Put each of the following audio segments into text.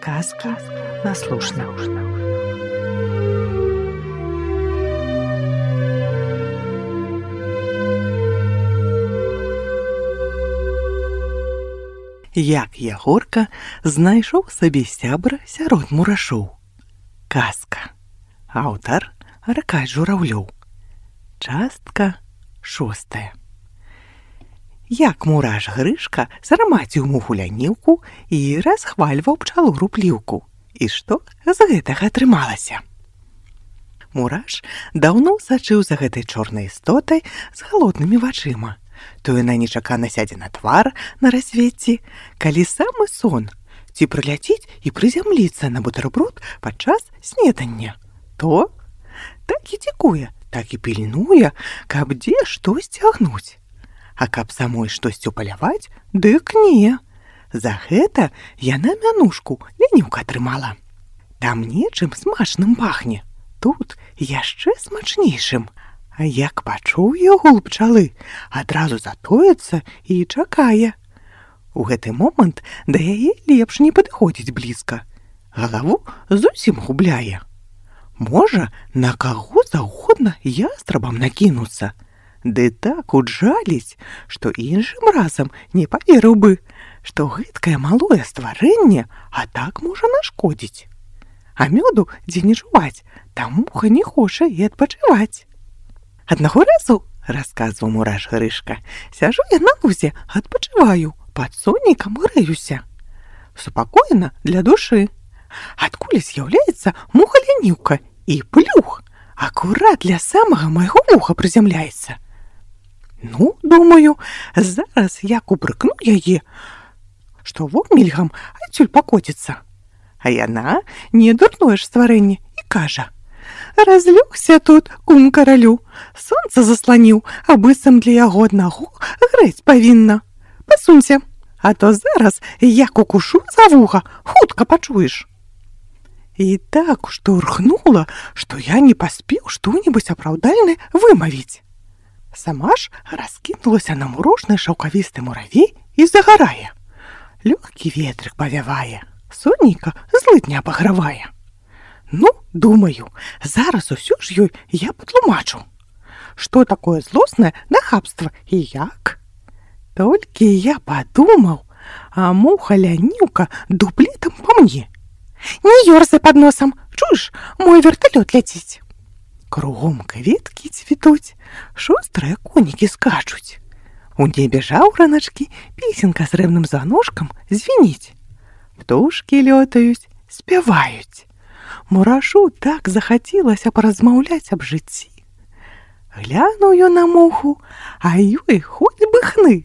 Казки на слушна. Як Ягорка знайшоў сабе сябра сярод мурашоў. Казка. Аўтар Аркадзь Журавлёў. Частка 6. Як мураш Грышка сарамаціў муху лянівку і расхвальваў пчалу рупліўку. І што з гэтага атрымалася? Мураш даўно сачыў за гэтай чорнай істотай з галоднымі вачыма. То яна нечакана сядзе на твар на рассвеце, калі самы сон, ці прыляціць і прызямліцца на бутэрброд падчас снедання. То так і цікуе, так і пільнуе, каб дзе штось цягнуць. А каб самой штосьцю паляваць, дык не. За гэта яна мянушку лянівка атрымала. Там нечым смачным пахне, тут яшчэ смачнейшым. А як пачуў гул пчалы, адразу затоецца і чакае. У гэты момант да яе лепш не падыходзіць блізка. Галаву зусім губляе. Можа, на каго заўгодна ястрабам накінуцца. Ды так уджаліць, што іншым разам не паверыў бы, што гэткае малое стварэнне, а так можа нашкодзіць. А мёду дзе не чуваць, там муха не хоча і адпачываць. Аднаго разу, расказваў мураш Грышка, сяжу я на лузе, адпачываю, пад сонейкам грэюся. Супакоена для душы. Адкуль з'яўляецца муха-лянівка і плюх, акурат для самага майго вуха прызямляецца. Ну, думаю, зараз як упрыкну яе, што вомільгам адсюль пакоціцца. А яна не дурное ж стварэнне і кажа: разлёгся тут, кум каралю, сонца засланіў, а быццам для яго аднаго грэць павінна. Пасунься, а то зараз як укушу за вуха, хутка пачуеш. І так штурхнула, што я не паспеў што-небудзь апраўдальнае вымавіць. Сама ж раскінулася на мурожны шаўкавісты муравей і загарае. Лёгкі ветрык павявае, сонейка злыдня пагравае. Ну, думаю, зараз усё ж ёй я патлумачу, што такое злоснае нахабства і як. Толькі я падумаў, а муха-лянівка дуплетам па мне. Не ёрзай пад носам, чуеш, мой верталёт ляціць. Кругом кветкі цвітуць, шустрыя конікі скачуць. У небе жаўраначкі, песенка срэбным званочкам звініць. Птушкі лётаюць, спяваюць. Мурашу так захацелася паразмаўляць аб жыцці. Глянуў ён на муху, а ёй хоць бы хны.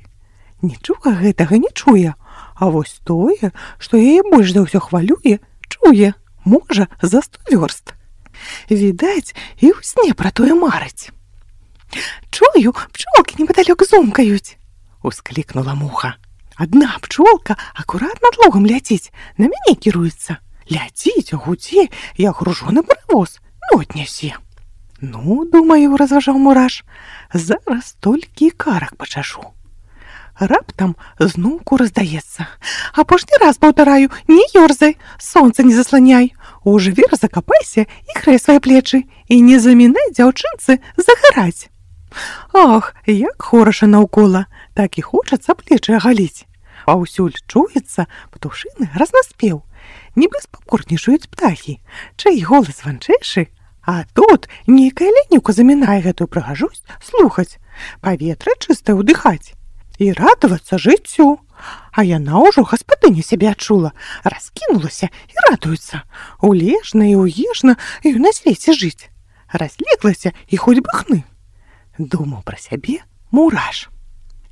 Нічога гэтага не чуе, а вось тое, што яе больш за ўсё хвалюе, чуе, можа, за 100 вёрст. Відаць, і ў сне пра тое марыць. Чую, пчолкі непадалёк зумкаюць, усклікнула муха. Адна пчолка акурат над лугам ляціць, на мяне кіруецца. Ляціць, гудзе, як гружоны паравоз, мёд нясе. Ну, думаю, разважаў мураш, зараз толькі карак пачашу. Раптам зноўку раздаецца. Апошні раз паўтараю, не ёрзай, сонца не засланяй. У жвір закапайся і грэй свае плечы, і не замінай дзяўчынцы загараць. Ах, як хораша наўкола, так і хочацца плечы агаліць. Паўсюль чуецца птушыны разнаспеў. Нібы спакорнічаюць птахі, чый голас ванчэйшы, а тут нейкая лянівка замінае гэтую прыгажосць слухаць, паветра чыстае ўдыхаць і радавацца жыццю. А яна ўжо гаспадыню сябе адчула, раскінулася і радуецца. Улежна і уежна ёй на свеце жыць. Разлеглася і хоць бы хны. Думаў пра сябе мураш.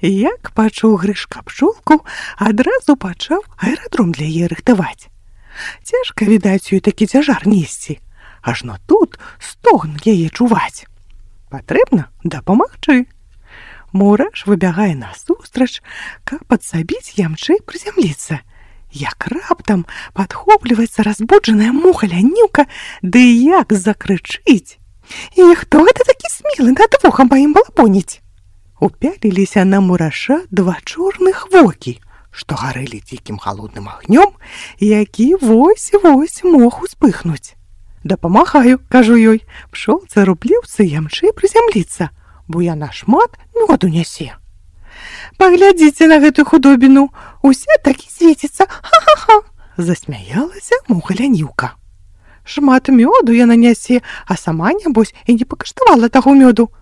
Як пачуў Грышка пчолку, адразу пачаў аэрадром для яе рыхтаваць. Цяжка, відаць, ёй такі цяжар несці, ажно тут стогн яе чуваць. Патрэбна дапамагчы. Мураш выбягае насустрач, каб падсабіць ямчэй прызямліцца. Як раптам падхопліваецца разбуджаная муха-лянівка, ды як закрычыць: «І хто гэта такі смелы над вухам маім балапоніць?» Упяліліся на мураша два чорных вокі, што гарэлі дзікім халодным агнём, які вось-вось мог успыхнуць. «Дапамагаю», кажу ёй, «пчолцы-рупліўцы ямчэй прызямліцца, бо яна шмат мёду нясе». «Паглядзіце на гэтую худобіну, уся так і свеціцца, ха-ха-ха!» засмяялася муха-лянівка. «Шмат мёду яна нясе, а сама, нябось, і не пакаштавала таго мёду.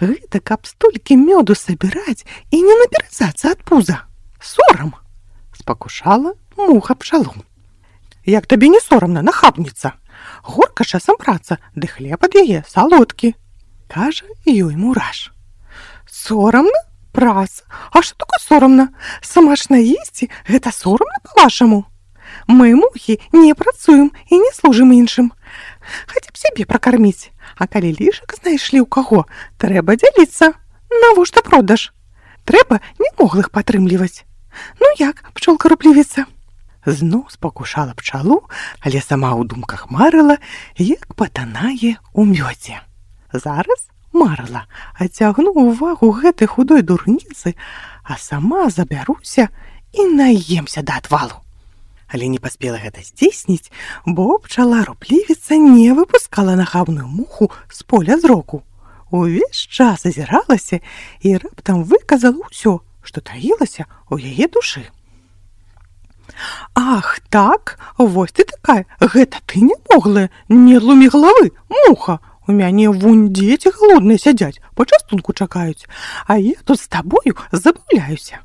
Гэта каб столькі мёду сабіраць і не набірацца ад пуза. Сорам!» спакушала муха пчалу. «Як табе не сорамна, нахабніца? Горка часам праца, ды хлеб ад яе салодкі», кажа ёй мураш. «Сорамна? Праца? А што такое сорамна? Самашна есці – гэта сорамна, па-вашаму? Мы, мухі, не працуем і не служым іншым. Хаця б сябе пракарміць. А калі лішак знайшлі ў каго, трэба дзяліцца. Навошта продаж? Трэба немоглых падтрымліваць. Ну як, пчолка-руплівіца?» Зноў спакушала пчалу, але сама ў думках марыла, як патанае ў мёдзе. Зараз марыла, адцягну ўвагу гэтай худой дурніцы, а сама забяруся і наемся да адвалу. Але не паспела гэта здзейсніць, бо пчала-руплівіца не выпускала нахабную муху з поля зроку. Увесь час азіралася і раптам выказала ўсё, што таілася ў яе душы. «Ах, так, вось ты такая, гэта ты нямоглая, не лумі галавы, муха! У мяне вунь дзеці галодныя сядзяць, пачастунку чакаюць, а я тут з табою забаўляюся».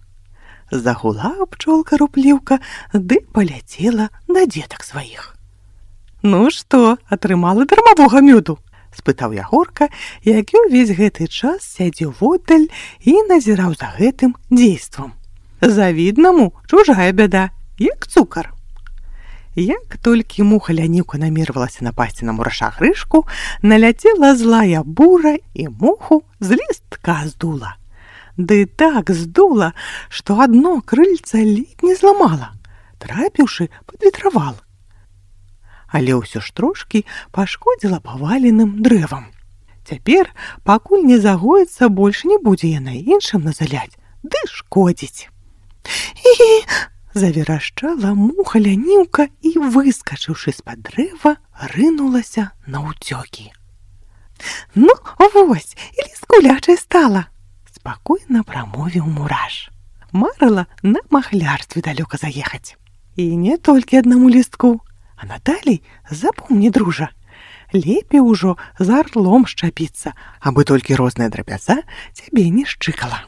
Загула пчолка-рупліўка, ды паляцела на дзетак сваіх. «Ну што, атрымала дармавога мёду?» спытаў Ягорка, які ўвесь гэты час сядзеў воддаль і назіраў за гэтым дзействам. Завіднаму чужая бяда, як цукар. Як толькі муха-лянівка намервалася напасці на мураша Грышку, наляцела злая бура і муху з лістка здула. Ды так здула, што адно крыльца ледзь не зламала, трапіўшы пад ветравал. Але ўсё ж трошкі пашкодзіла паваленым дрэвам. Цяпер, пакуль не загоіцца, больш не будзе яна іншым назаляць, ды шкодзіць. «І-і!» заверашчала муха-лянівка і, выскачыўшы з-пад дрэва, рынулася наўцёкі. «Ну, вось, і ліскулячай стала!» спакойна прамовіў мураш. Марыла на махлярстве далёка заехаць. І не толькі аднаму лістку, а надалей запомні, дружа, лепей ужо за арлом шчапіцца, абы толькі розная драбяза цябе не шчыкала.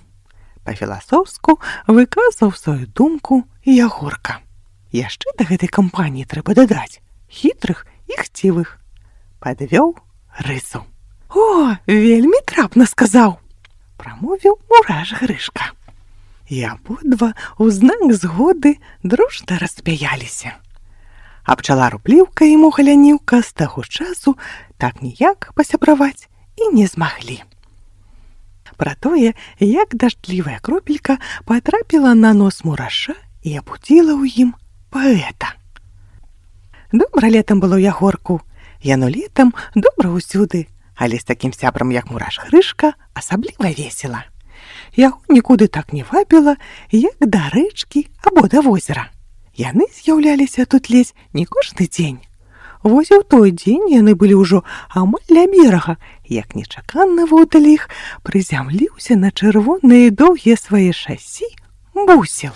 Па-філасофску выказаў сваю думку Ягорка. Яшчэ да гэтай кампаніі трэба дадаць хітрых і хцівых. Падвёў рысу. «О, вельмі трапна сказаў!» прамовіў мураш Грышка. І абодва ў знак згоды дружна рассмяяліся. А пчала-рупліўка і муха-лянівка з таго часу так ніяк пасябраваць і не змаглі. Пра тое, як дажджлівая кропелька патрапіла на нос мураша і абудзіла ў ім паэта. Добра летам было Ягорку. Яно летам добра ўсюды, але з такім сябрам, як мураш Грышка, асабліва весела. Яго нікуды так не вабіла, як да рэчкі або да возера. Яны з'яўляліся тут ледзь не кожны дзень. Вось і ў той дзень яны былі ўжо амаль ля берага, як нечакана воддаль іх прызямліўся на чырвоныя доўгія свае шасі бусел.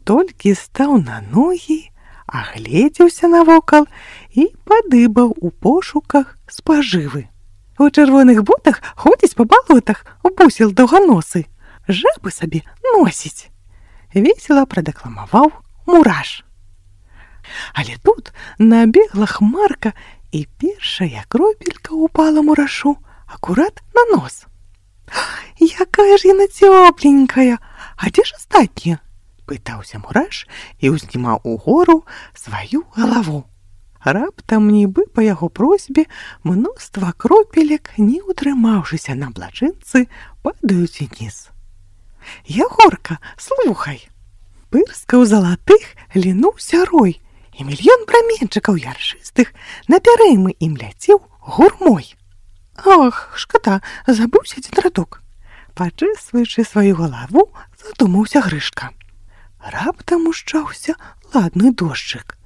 Толькі стаў на ногі, агледзеўся навокал і падыбаў у пошуках спажывы. У чырвоных ботах ходзіць па балотах, бусел даўганосы, жабы сабе носіць. Весела прадакламаваў мураш. Але тут набегла хмарка, і першая кропелька упала мурашу акурат на нос. «Якая ж яна цёпленькая! А дзе ж астатнія?» пытаўся мураш і ўзнімаў угору сваю галаву. Раптам, нібы па яго просьбе, мноства кропелек, не ўтрымаўшыся на блажынцы, падаюць уніз. «Ягорка, слухай!» Пырскаў залатых лінуўся рой, і мільён праменчыкаў яршыстых напярэймы ім ляцеў гурмой. «Ах, шкада, забыўся адзін радок!» Пачэсваючы сваю галаву, задумаўся Грышка. Раптам ушчаўся ладны дожджык.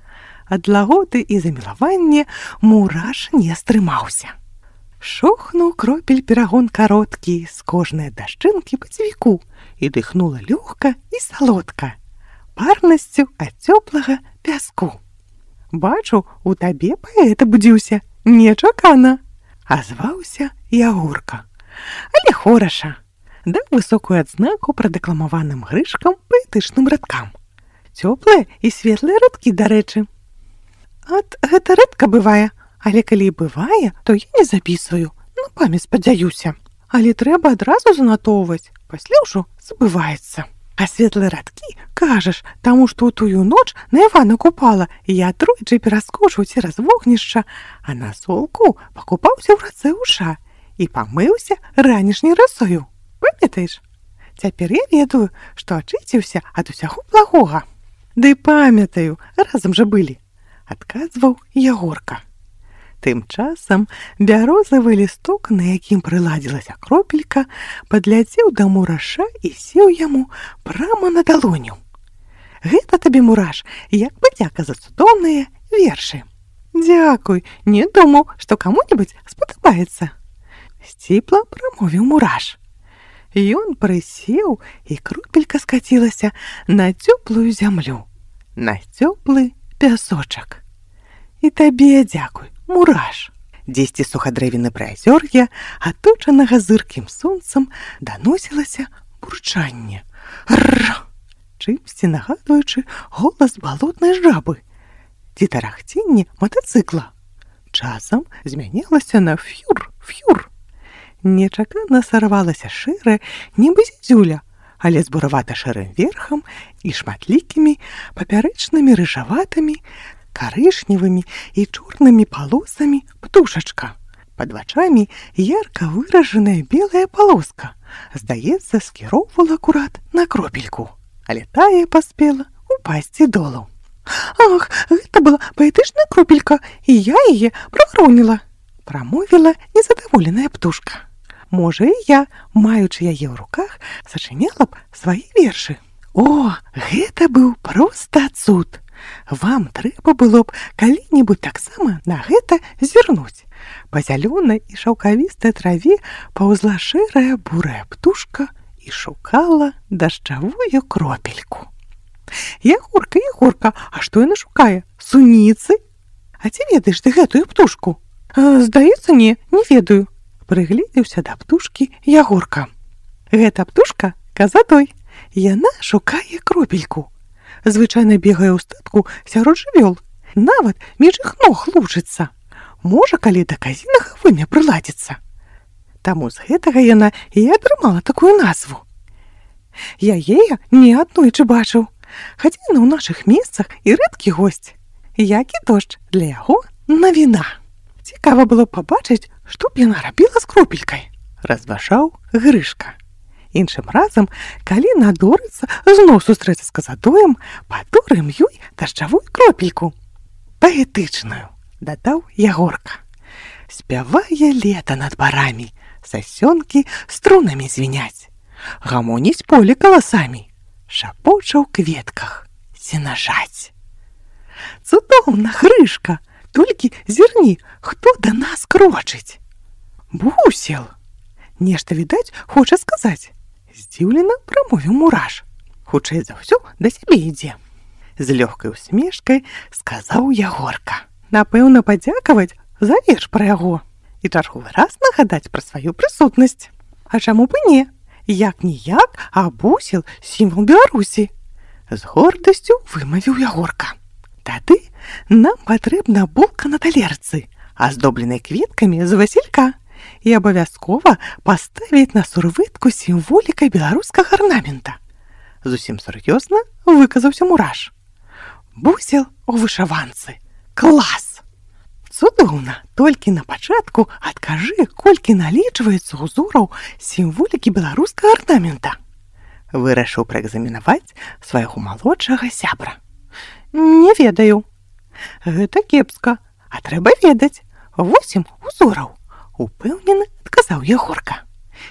Ад лаготы і замілавання мураш не стрымаўся. Шохнуў кропель перагон кароткі з кожнай дашчынкі па цвіку і дыхнула лёгка і салодка, парнасцю ад цёплага пяску. Бачу, у табе паэт абудзіўся, нечакана, азваўся Ягорка. Але хораша. Даў высокую адзнаку прадакламаваным Грышкам паэтычным радкам. Цёплыя і светлыя радкі, дарэчы. Ат, гэта рэдка бывае, але калі і бывае, то я не запісваю, на памяць спадзяюся. Але трэба адразу занатоўваць, пасля ўжо забываецца. А светлыя радкі, кажаш, таму што ў тую ноч на Івана Купала я тройчы пераскочыў цераз вогнішча, а на солку пакупаўся ў рацэ ўша і памыўся ранішняй расою. Памятаеш? Цяпер я ведаю, што ачысціўся ад усяго благога. Ды памятаю, разам жа былі, адказваў Ягорка. Тым часам бярозавы лісток, на якім прыладзілася кропелька, падляцеў да мураша і сеў яму прама на далоню. Гэта табе, мураш, як падзяка за цудоўныя вершы. Дзякуй, не думаў, што каму-небудзь спадабаецца. Сціпла прамовіў мураш. Ён прысеў, і кропелька скацілася на цёплую зямлю, на цёплы пясочак. І табе дзякуй, мураш. Дзесьці сухадрэвіны прыазёр'я, аточанага зыркім сонцам, даносілася бурчанне. Рр! Чымсьці нагадваючы голас балотнай жабы ці тарахценне матацыкла. Часам змянялася на фюр-фюр. Нечакана сарвалася шэрая, нібы зізюля, але з буравата-шэрым верхам і шматлікімі папярэчнымі рыжаватымі, карычневымі і чорнымі палосамі птушачка. Пад вачамі ярка выражаная белая палоска, здаецца, скіроўвала акурат на кропельку, але тая паспела упасці долу. Ах, гэта была паэтычная кропелька, і я яе правароніла, прамовіла незадаволеная птушка. Можа, і я, маючы яе ў руках, сачыняла б свае вершы. О, гэта быў проста цуд! Вам трэба было б калі-небудзь таксама на гэта зірнуць. Па зялёнай і шаўкавістай траве паўзла шэрая бурая птушка і шукала дажджавую кропельку. Ягорка, Ягорка, а што яна шукае? Суніцы? А ці ведаеш ты гэтую птушку? Здаецца, не ведаю. Прыгледзеўся да птушкі Ягорка. Гэта птушка казадой. Яна шукае кропельку. Звычайна бегае ў статку сярод жывёл. Нават між іх ног лужыцца. Можа, калі да казінага вымя прыладзіцца. Таму з гэтага яна і атрымала такую назву. Я яе не аднойчы бачыў, хаця яна ў нашых месцах і рэдкі госць. Які дождж для яго навіна. Цікава было пабачыць, што б яна рабіла з кропелькай, разважаў Грышка. Іншым разам, калі надорыцца зноў сустрэцца з казадоем, падорым ёй дажджавую кропельку. Паэтычную, дадаў Ягорка. Спявае лета над барамі, сасёнкі струнамі звіняць, гамоніць поле каласамі, шапоча ў кветках сенажаць. Цудоўна, Грышка! Толькі зірні, хто да нас крочыць. Бусел! Нешта, відаць, хоча сказаць. Здзіўлена прамовіў мураш. Хутчэй за ўсё да сябе ідзе. З лёгкай усмешкай сказаў Ягорка. Напэўна, падзякаваць за верш пра яго і чарговы раз нагадаць пра сваю прысутнасць. А чаму б і не? Як-ніяк, а бусел — сімвал Беларусі. З гордасцю вымавіў Ягорка. Тады нам патрэбна булка на талерцы, аздобленай кветкамі з васілька, і абавязкова паставіць на сурвытку сімволікай беларускага арнамента. Зусім сур'ёзна выказаўся мураш. Бусел у вышыванцы. Клас! Цудоўна, толькі на пачатку адкажы, колькі налічваецца ўзораў сімволікі беларускага арнамента. Вырашыў праэкзаменаваць свайго малодшага сябра. Не ведаю. Гэта кепска, а трэба ведаць. 8 узораў, упэўнена адказаў Ягорка.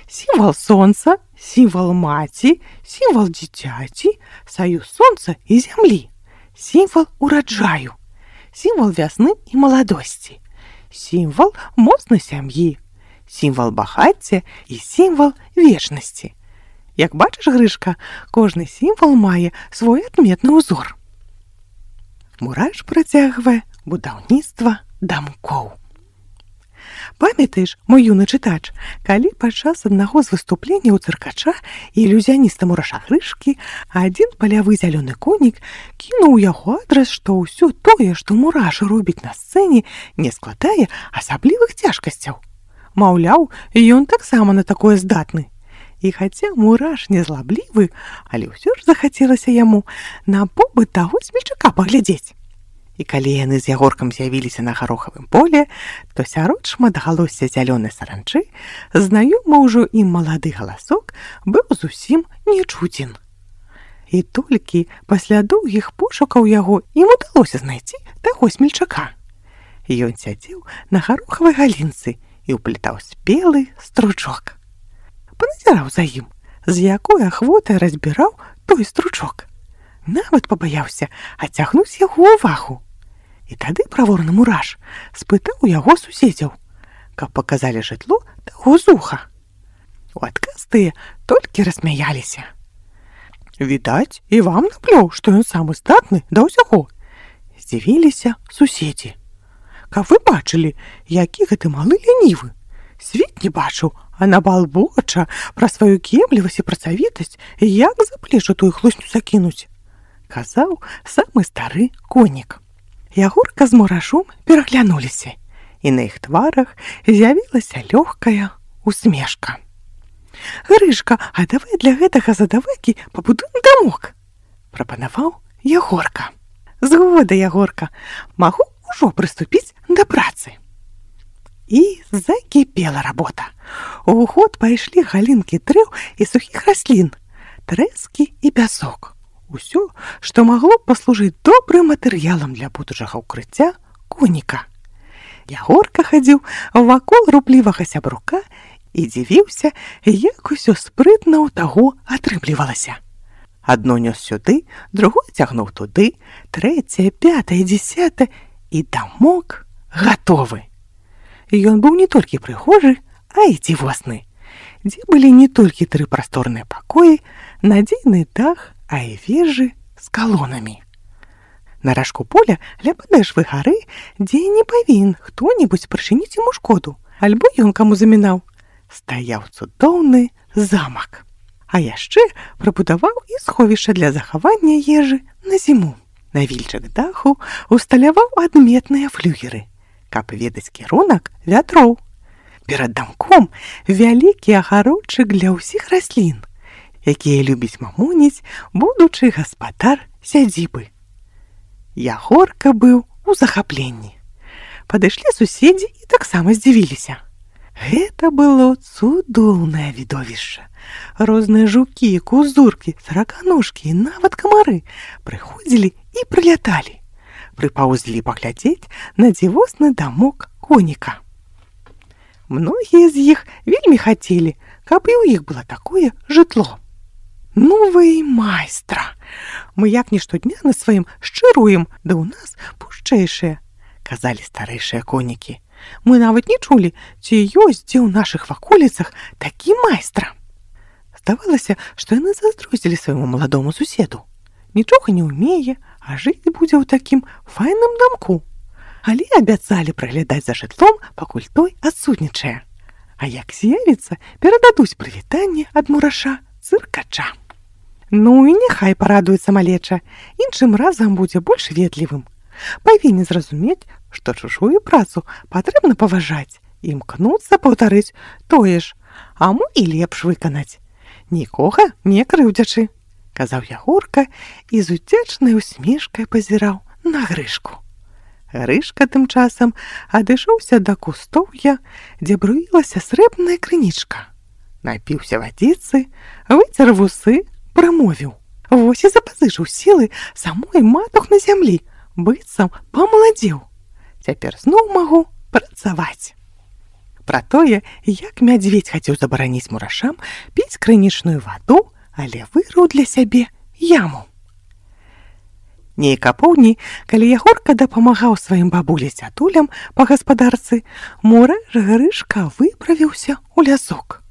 Сімвал сонца, сімвал маці, сімвал дзіцяці, саюз сонца і зямлі, сімвал ураджаю, сімвал вясны і маладосці, сімвал моцнай сям'і, сімвал багацця і сімвал вечнасці. Як бачыш, Грышка, кожны сімвал мае свой адметны ўзор. Мураш працягвае будаўніцтва дамкоў. Памятаеш, мой юны чытач, калі падчас аднаго з выступленняў цыркача і ілюзіяніста Мураша Грышкі адзін палявы зялёны конік кінуў яго адрас, што ўсё тое, што Мураш робіць на сцэне, не складае асаблівых цяжкасцяў. Маўляў, ён таксама на такое здатны. І хаця Мураш не злаблівы, але ўсё ж захацелася яму на побыт таго смельчака паглядзець. І калі яны з Ягоркам з'явіліся на гарохавым поле, то сярод шматгалосся зялёнай саранчы знаёмы ўжо ім малады галасок быў зусім нечуцен. І толькі пасля доўгіх пошукаў яго ім удалося знайсці таго смельчака. Ён сядзеў на гарохавай галінцы і ўплетаў спелы стручок. Паназіраў за ім, з якой ахвотай разбіраў той стручок. Нават пабаяўся адцягнуць яго ўвагу. І тады праворны Мураш спытаў у яго суседзяў, каб паказалі жытло таго зуха. У адказ тыя толькі рассмяяліся. Відаць, і вам наплёў, што ён самы здатны да ўсяго. Здзівіліся суседзі. Каб вы бачылі, які гэты малы лянівы. Свет не бачыў, а набалбоча пра сваю кемлівасць і працавітасць, як за плечы тую хлусню закінуць, казаў самы стары конік. Ягорка з Мурашом пераглянуліся, і на іх тварах з'явілася лёгкая усмешка. Грышка, а давай для гэтага задавайкі пабудуем дамок, прапанаваў Ягорка. Згода, Ягорка, магу ўжо прыступіць да працы. І закіпела работа. У ход пайшлі галінкі дрэў і сухіх раслін, трэскі і пясок. Усё, што магло б паслужыць добрым матэрыялам для будучага ўкрыцця коніка. Ягорка хадзіў вакол руплівага сябрука і дзівіўся, як усё спрытна ў таго атрымлівалася. Адно нёс сюды, другое цягнуў туды, трэцяе, пятае, дзесятае, і дамок гатовы. Ён быў не толькі прыгожы, а і дзівосны, дзе былі не толькі 3 прасторныя пакоі, надзейны дах, а і вежы з калонамі. На ражку поля ля падэшвы гары, дзе не павінен хто-небудзь прычыніць яму шкоду, альбо ён каму замінаў, стаяў цудоўны замак. А яшчэ прабудаваў і сховішча для захавання ежы на зіму. На вільчык даху усталяваў адметныя флюгеры, каб ведаць кірунак вятроў. Перад дамком вялікі агародчык для ўсіх раслін, якія любіць мамоніць будучы гаспадар сядзібы. Ягорка быў у захапленні. Падышлі суседзі і таксама здзівіліся. Гэта было цудоўнае відовішча. Розныя жукі, кузуркі, сараканожкі і нават камары прыходзілі і прыляталі. Прыпаўзлі паглядзець на дзівосны дамок коніка. Многія з іх вельмі хацелі, каб і ў іх было такое жытло. Ну вы майстра! Мы як не штодня на сваім шчыруем, да ў нас пушчэйшыя, казалі старэйшыя конікі. Мы нават не чулі, ці ёсць дзе ў нашых ваколіцах такі майстра. Здавалася, што яны зайздросцілі свайму маладому суседу. Нічога не ўмее, а жыць будзе ў такім файным дамку. Але абяцалі праглядаць за жытлом, пакуль той адсутнічае. А як з'явіцца, перададуць прывітанне ад Мураша цыркача. Ну і няхай парадуецца малеча, іншым разам будзе больш ветлівым. Павінен зразумець, што чужую працу патрэбна паважаць, імкнуцца паўтарыць тое ж, а мо і лепш выканаць. Нікога не крыўдзячы, казаў Ягорка і з удзячнай усмешкай пазіраў на Грышку. Грышка тым часам адышоўся да кустоўя, дзе бруілася срэбная крынічка. Напіўся вадзіцы, выцер вусы, прамовіў. Вось і запазычыў сілы самой матух на зямлі, быццам памаладзеў. Цяпер зноў магу працаваць. пра тое, як мядзведзь хацеў забараніць мурашам піць крынічную ваду, але вырыў для сябе яму. Нейк апоўдні, калі Ягорка дапамагаў сваім бабулі-дзядулям па гаспадарцы, мураш Грышка выправіўся ў лясок.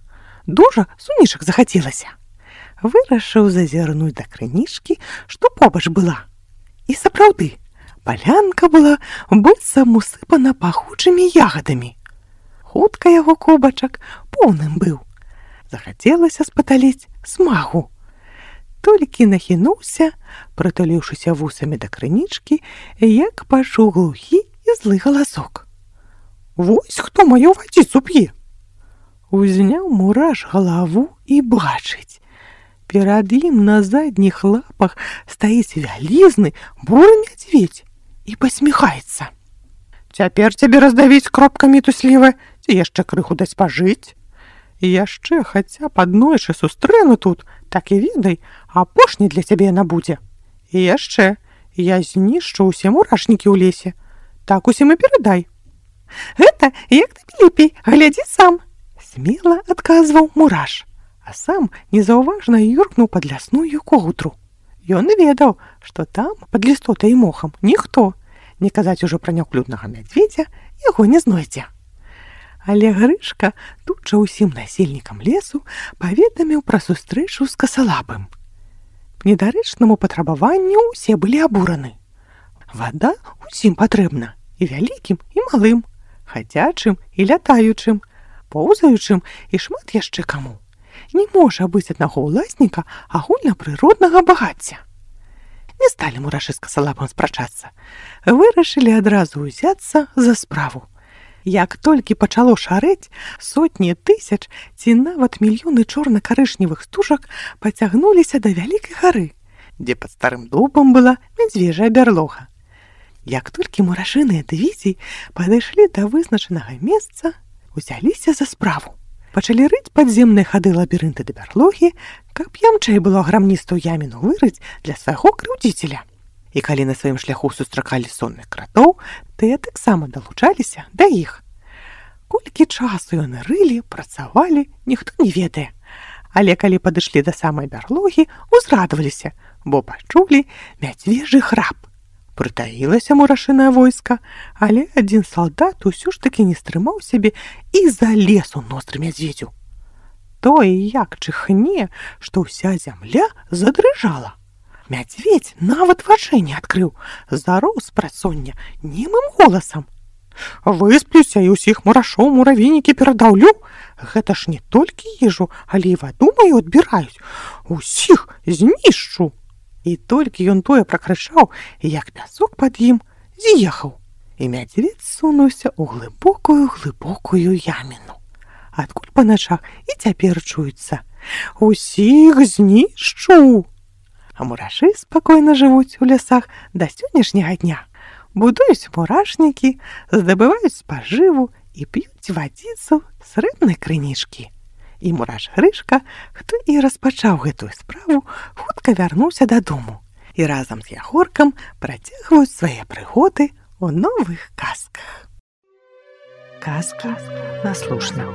Дужа сунішак захацелася. Вырашыў зазірнуць да крынічкі, што побач была. І сапраўды, палянка была быццам усыпана пахучымі ягадамі. Хутка яго кубачак поўным быў. Захацелася спаталіць смагу. Толькі нахінуўся, прытуліўшыся вусамі да крынічкі, як пачуў глухі і злы галасок. «Вось хто маю вадзіцу п'е!» Узняў мураш галаву і бачыць. Перад ім на задніх лапах стаіць вялізны буры мядзведзь і пасміхаецца. «Цяпер цябе раздавіць кропкамі туслівы, ці яшчэ крыху даць пажыць? І яшчэ хаця б аднойчы сустрэну тут, так і ведай, апошні для цябе яна будзе. І яшчэ, я знішчу ўсе мурашнікі ў лесе. Так усім і перадай». «Гэта як табе лепей, глядзі сам», — смела адказваў мураш, а сам незаўважна юркнуў пад лясную коўдру. Ён ведаў, што там, пад лістотай і мохам, ніхто, не казаць ужо пра няўклюднага мядзведзя, яго не знойдзе. Але Грышка тут жа ўсім насельнікам лесу паведаміў пра сустрэчу з касалапым. К недарэчнаму патрабаванню ўсе былі абураны. Вада ўсім патрэбна, і вялікім, і малым, хадзячым і лятаючым, поўзаючым і шмат яшчэ каму. Не можа быць аднаго ўласніка агульнапрыроднага багацця. Не сталі мурашы з касалапам спрачацца. Вырашылі адразу ўзяцца за справу. Як толькі пачало шарэць, сотні тысяч ці нават мільёны чорна-карычневых стужак пацягнуліся да вялікай гары, дзе пад старым дубам была мядзвежая бярлога. Як толькі мурашыныя дывізіі падышлі да вызначанага месца, узяліся за справу. Пачалі рыць падземныя хады лабірынты да бярлогі, каб ямчэй было грамністую яміну вырыць для свайго крыўдзіцеля. І калі на сваім шляху сустракалі сонных кратоў, тыя таксама далучаліся да іх. Колькі часу яны рылі, працавалі, ніхто не ведае. Але калі падышлі да самай бярлогі, узрадаваліся, бо пачулі мядзвежы храп. Прытаілася мурашынае войска, але адзін салдат усё ж такі не стрымаў сябе і залез у ноздры мядзведзю. Тое як чыхне, што ўся зямля задрыжала. Мядзведзь нават вачэй не адкрыў, зароў з працоння немым голасам. «Высплюся і ўсіх мурашоў муравейнікі перадаўлю. Гэта ж не толькі ежу, але і ваду маю адбіраюць. Усіх знішчу». І толькі ён тое пракрычаў, як пясок пад ім з'ехаў. І мядзведзь сунуўся ў глыбокую яміну. Адкуль па начах і цяпер чуецца: «Усіх знішчу». А мурашы спакойна жывуць у лясах да сённяшняга дня. Будуюць мурашнікі, здабываюць спажыву і п'юць вадзіцу з рыбнай крынічкі. І мураш Грышка, хто і распачаў гэтую справу, хутка вярнуўся дадому. І разам з Ягоркам працягваюць свае прыгоды ў новых казках. Казка на слушна.